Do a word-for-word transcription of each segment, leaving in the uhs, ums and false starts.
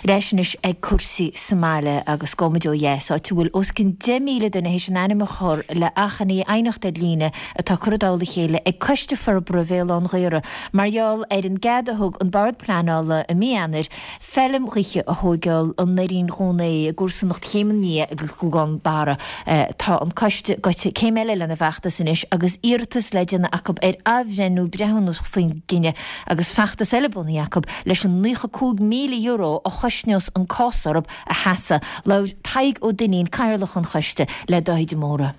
Ar ais anois ag cúrsaí sa mbaile agus gabhfaimid ó dheas, áit a bhfuil os cionn deich míle duine théis a n-ainm a chur le achainí aighneacht ar líne atá curtha i dtoll a chéile ag Coiste Forbartha Bhéal Átha an Ghaorthaidh mar gheall ar an gcead a thug an Bord Pleanála i mí Eanáir feilm ghaoithe a thóigeáil i nDoirín Dhún Aodha i gcomharsanacht Chéim an Fhia agus Ghúgán Barra. Tá an coiste gaibhte céim eile lena bhfeachtas anois agus iarratas le déanamh acu ar athbhreithniú breithiúnach faoin gcinneadh agus feachtas eile bunaithe acu leis an naocha cúig míle euro a chosnós an cás orthu a sheasamh. Labhair Tadhg Ó Duinnín, Cathaoirleach an choiste, le Dáithí de Mórdha.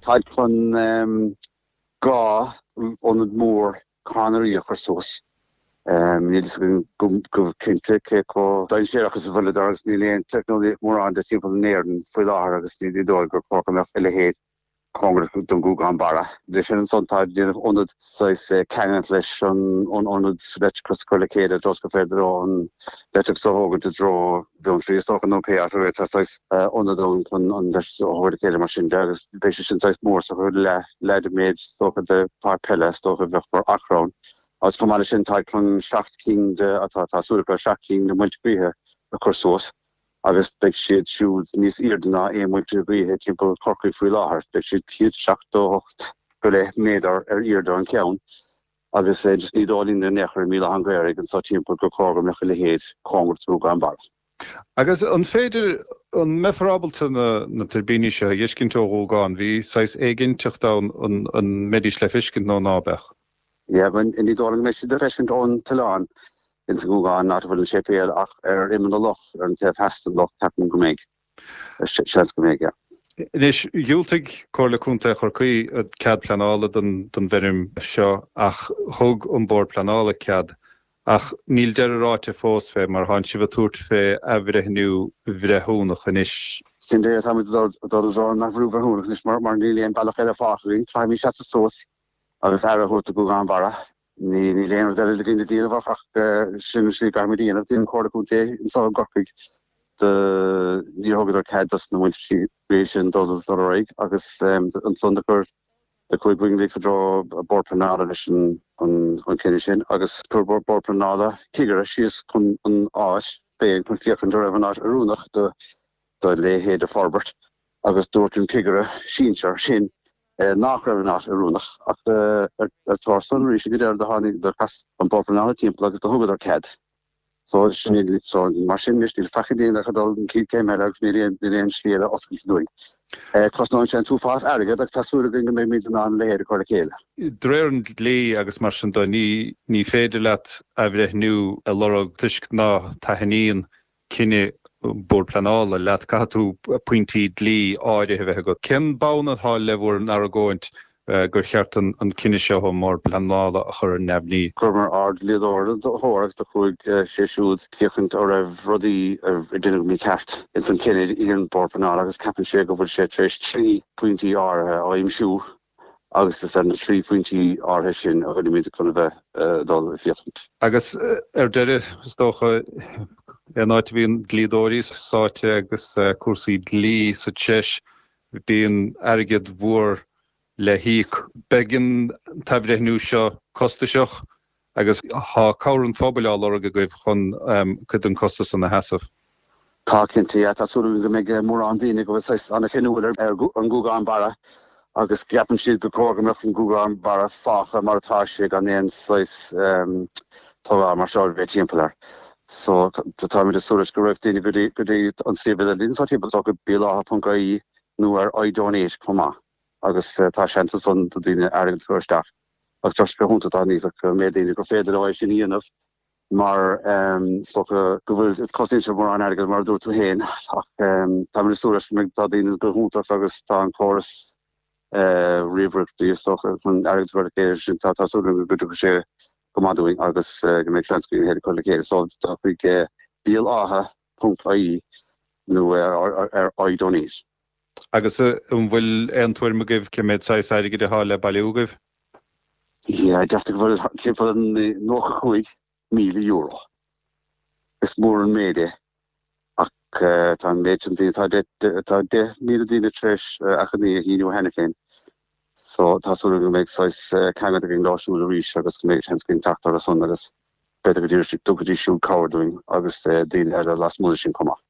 Táid chun dhá ionad mór cadhnraí a chur suas. Níl fhios againn go cinnte cé chomh dainséarach is a bhfuileadar agus níl aon teicneolaíocht mórán de timpeall in Éirinn faoi láthair agus ní dóigh gur chóir go mbeadh a leithéid cóngarach don Ghúgán Barra. Leis sin ansan tá déanamh ionad saghas ceangailt leis an ionad leictreachas a chur le chéile i dtreo is gur féidir leo an leictreachas a thógaint i dtreo Bheanntraí is dócha nó pé áit a bhfuil tá saghas ionad ann chun an leictreachas a thabhairt le chéile mar sin de agus beidh sé sin saghas mór so leath leath de méid is dócha de pháirc peile is dócha a bheadh mar achar ann. Agus chomh maith leis sin tá chun seacht cinn de atá tá súil acu seacht cinn de muilte gaoithe a chur suas. agus beidh siad siúd níos airde ná aon mhuilte gaoithe timpeall Chorcaí faoi láthair. Beidh siad céad seachtó hocht go leith méadar ar airde an ceann agus just ní dóigh linn in aon chor i mBéal Átha an Ghaorthaidh anseo timpeall gur chóir go mbeadh a leithéid cóngarach do Ghúgán Barra. Agus an féidir, an mbeifear ábalta na na tuirbíní seo a fheiscint ó Ghúgán? Bhí saghas éiginnteacht ann an an mbeidís le feiscint nó ná beadh? Yeah, ní dóigh liom go mbeidh siad le feiscint ón t-oileán ins an Ghúgán, áit a bhfuil an séipéal, ach ar imeall na loch, ar an taobh theas den loch, ceapaim go mbeidh. Seans go mbeidh, yeah. Anois, dhiúltaigh Comhairle Contae Chorcaí cead pleanála don don bhfeirm seo ach thug an Bord Pleanála cead. Ach níl deireadh ráite fós fé mar thánn sibh ag tabhairt fé athbhreithniú bhreithiúnach anois. Sin é, táimid ag dul i dtreo an athbhreithniú bhreithiúnach anois mar mar níl aon bealach eile fágtha againn. Caithfimid seasamh suas agus aire a thabhairt do Ghúgán Barra. Ní níl aon rud eile againn le déanamh ach ach sin an slí a gcaithfimid a dhéanamh. Bhí an Chomhairle Contae anseo i gCorcaigh do níor thugadar cead dos na muilte gaoithe sin dul dul ar aghaidh agus ansan do chuir do chuaigh muid i dtreo Bord Pleanála leis an an cinneadh sin agus chuir Bord Pleanála cigire síos chun an áit féin chun féachaint an raibh an áit oiriúnach do do leithéid de forbairt agus dúirt an cigire sinsear sin nach raibh an áit oiriúnach ach ar thóir san arís ag an deireadh do tháinig do chas an Bord Pleanála timpeall agus do thugadar cead. So sin so mar sin anois níl faic againn ach a dul an chéad chéim eile agus níl aon níl aon slí eile oscailte dúinn. Cosnóidh sé an t-uafás airgead ach tá súil againn go mbeimid in ann a leithéid a chur le chéile. De réir an dlí agus mar sin de ní ní féidir leat athbhreithniú a lorg toisc ná taitníonn cinneadh Bord Pleanála leat, caithfidh tú pointí dlí áirithe a bheith agat. Cén bonn atá le bhur n-argóint gur cheart an cinneadh seo ón mBord Pleanála a chur ar neamhní? Chuireamar ár dlíodóir ar a thóir agus do chuaigh sé siúd féachaint an raibh rudaí a deineadh mícheart ins an cinneadh a dhein an Bord Pleanála agus ceapann sé go bhfuil sé tar éis trí phointí áirithe a aimsiú agus is ar na trí phointí áirithe sin a bhfuilimid chun a bheith ag dul ag féachaint. Agus ar deireadh, is dócha, aon áit a bhíonn dlíodóirí sáite agus cúrsaí dlí sa treis, bíonn airgead mhór le híoc. Beidh an t-athbhreithniú seo costasach Agus tá cabhair an phobail á lorg agaibh chun cuid den chostas san a sheasamh. Tá, cinnte, yeah. Tá súil againn go mbeidh mórán daoine go bhfuil saghas an-cheanúil ar an Gúgán Barra agus go gceapann siad gur chóir go mbeadh an Gúgán Barra fágtha mar atá sé gan aon saghas tógáil mar seo a bheith timpeall air. So táimid ag súil leis go rachaidh daoine go dtí go dtí an suíomh idirlín anseo timpeall so go béalátha.ie nó ar iDonate chomh maith agus tá seans ansan do daoine airgead a chur isteach. Agus tá sé go hiontach dá n-íosfadh an méid daoine gur féidir leo é sin a dhéanamh mar is dócha go bhfuil, cosnaíonn sé mórán airgid mar a dúirt tú féin ach táimid ag súil leis go mbeidh, tá daoine go hiontach agus tá an córas ríomhaireachta is dócha chun airgead a chur le chéile sin, tá tá súil agam go dtiocfaidh sé go maith dúinn agus go mbeidh seans againn é a chur le chéile. So tá chuig Béal Átha ponc ie nó ar iDonate. Agus an bhfuil aon tuairim agaibh cé mhéad saghas airgid atá le bailiú agaibh? Yeah, deirtear go bhfuil timpeall nócha cúig míle euro. Is mór an méid é ach tá an méid sin daoine, tá deich, tá deich míle daoine tar éis achainí a shíniú cheana féin so tá súil agam go mbeidh saghas ceangal againn leo siúd arís agus go mbeidh seans againn teacht orthu san agus B'fhéidir go dtabharfaidís siúd cabhair dúinn agus daoine eile lasmuigh de sin chomh maith.